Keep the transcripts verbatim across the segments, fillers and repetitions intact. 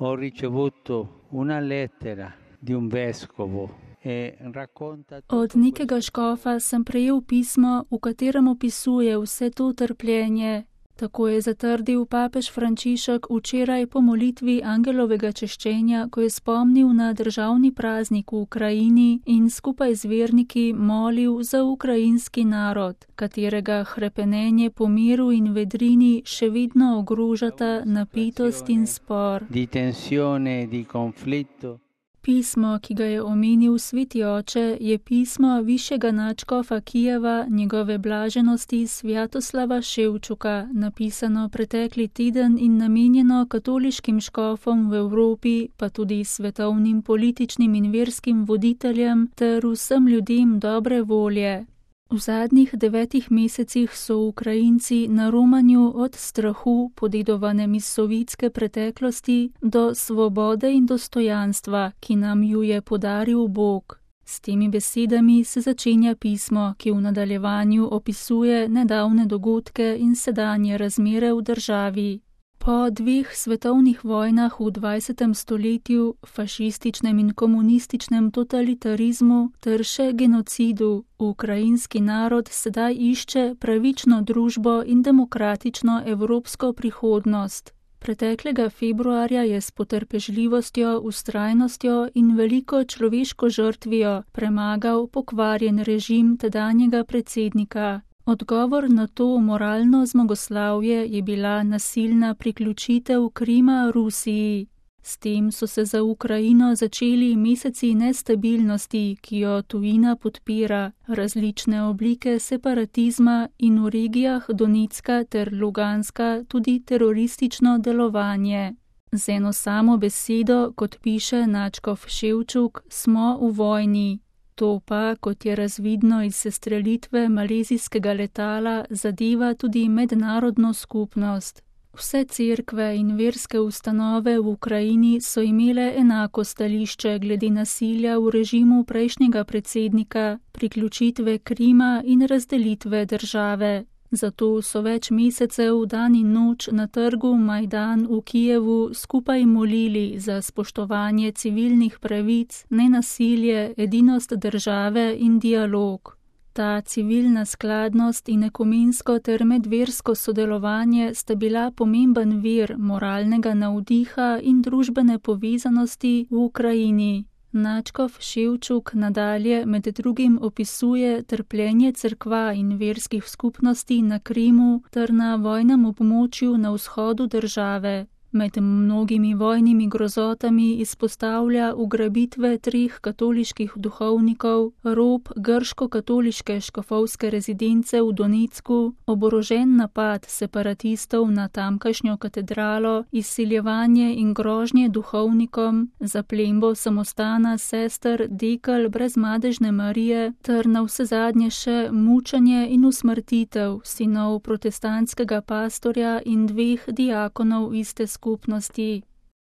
Ho ricevuto una lettera di un vescovo e racconta Od nekega škofa sem prejel pismo, v katerem opisuje vse to trpljenje. Tako je zatrdil papež Frančišek včeraj po molitvi angelovega češčenja, ko je spomnil na državni praznik v Ukrajini in skupaj z verniki molil za ukrajinski narod, katerega hrepenenje po miru in vedrini še vedno ogrožata napetost in spor. di tensione e di conflitto. Pismo, ki ga je omenil sveti oče, je pismo višjega nadškofa Kijeva, njegove blaženosti Svjatoslava Ševčuka, napisano pretekli teden in namenjeno katoliškim škofom v Evropi, pa tudi svetovnim političnim in verskim voditeljem ter vsem ljudem dobre volje. V zadnjih devetih mesecih so Ukrajinci na romanju od strahu, podedovanem iz sovjetske preteklosti, do svobode in dostojanstva, ki nam ju je podaril Bog. S temi besedami se začenja pismo, ki v nadaljevanju opisuje nedavne dogodke in sedanje razmere v državi. Po dveh svetovnih vojnah v dvajsetem stoletju, fašističnem in komunističnem totalitarizmu ter še genocidu, ukrajinski narod sedaj išče pravično družbo in demokratično evropsko prihodnost. Preteklega februarja je s potrpežljivostjo, vztrajnostjo in veliko človeško žrtvijo premagal pokvarjen režim tedanjega predsednika. Odgovor na to moralno zmagoslavje je bila nasilna priključitev Krima Rusiji. S tem so se za Ukrajino začeli meseci nestabilnosti, ki jo tujina podpira, različne oblike separatizma in v regijah Donetska ter Luganska tudi teroristično delovanje. Z eno samo besedo, kot piše nadškof Ševčuk, smo v vojni. To pa, kot je razvidno iz sestrelitve malezijskega letala, zadeva tudi mednarodno skupnost. Vse cerkve in verske ustanove v Ukrajini so imele enako stališče glede nasilja v režimu prejšnjega predsednika, priključitve Krima in razdelitve države. Zato so več mesecev dan in noč na trgu Majdan v Kijevu skupaj molili za spoštovanje civilnih pravic, nenasilje, edinost države in dialog. Ta civilna skladnost in ekumensko ter medversko sodelovanje sta bila pomemben vir moralnega navdiha in družbene povezanosti v Ukrajini. Nadškof Ševčuk nadalje med drugim opisuje trpljenje cerkva in verskih skupnosti na Krimu ter na vojnem območju na vzhodu države. Med mnogimi vojnimi grozotami izpostavlja ugrabitve treh katoliških duhovnikov, rob grško-katoliške škofovske rezidence v Donetsku, oborožen napad separatistov na tamkajšnjo katedralo, izsiljevanje in grožnje duhovnikom, zaplembo samostana sester Dekel brezmadežne Marije ter navsezadnje še mučenje in usmrtitev sinov protestantskega pastorja in dveh diakonov iste skupnosti. skupnosti.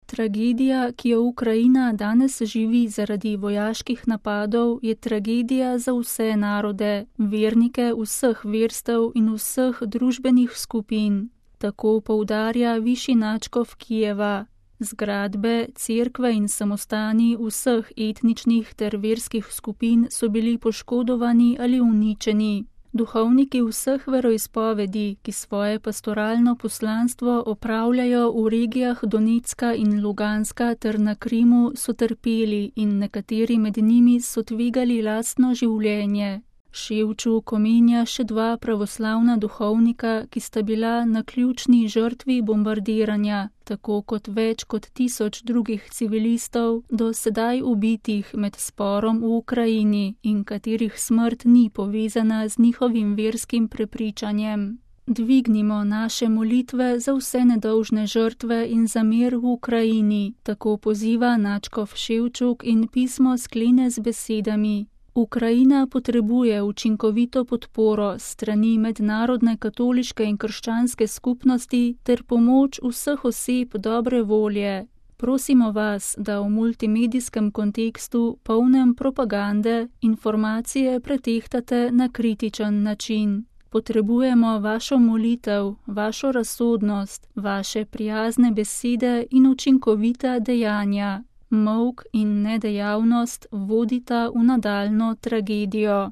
Tragedija, ki jo Ukrajina danes živi zaradi vojaških napadov, je tragedija za vse narode, vernike vseh verstev in vseh družbenih skupin. Tako poudarja višji nadškof Kijeva. Zgradbe, cerkve in samostani vseh etničnih ter verskih skupin so bili poškodovani ali uničeni. Duhovniki vseh veroizpovedi, ki svoje pastoralno poslanstvo opravljajo v regijah Donetska in Luganska ter na Krimu, so trpeli in nekateri med njimi so tvegali lastno življenje. Ševčuk omenja še dva pravoslavna duhovnika, ki sta bila naključni žrtvi bombardiranja, tako kot več kot tisoč drugih civilistov, do sedaj ubitih med sporom v Ukrajini in katerih smrt ni povezana z njihovim verskim prepričanjem. Dvignimo naše molitve za vse nedolžne žrtve in za mir v Ukrajini, tako poziva nadškof Ševčuk in pismo sklene z besedami. Ukrajina potrebuje učinkovito podporo strani mednarodne katoliške in krščanske skupnosti ter pomoč vseh oseb dobre volje. Prosimo vas, da v multimedijskem kontekstu, polnem propagande, informacije pretehtate na kritičen način. Potrebujemo vašo molitev, vašo razsodnost, vaše prijazne besede in učinkovita dejanja. Molk in nedejavnost vodita v nadaljnjo tragedijo.